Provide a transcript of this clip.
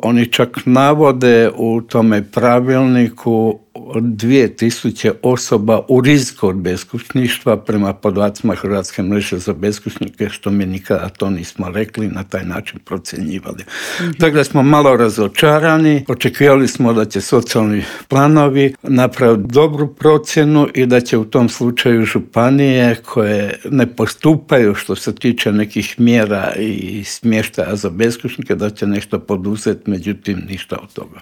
Oni čak navode u tome pravilniku 2000 osoba u riziku od beskućništva prema podacima Hrvatske mreže za beskućnike, što mi nikada to nismo rekli, na taj način procjenjivali. Dakle, smo malo razočarani, očekivali smo da će socijalni planovi napraviti dobru procjenu i da će u tom slučaju županije koje ne postupaju što se tiče nekih mjera i smještaja za beskućnike, da će nešto poduzeti, međutim ništa od toga.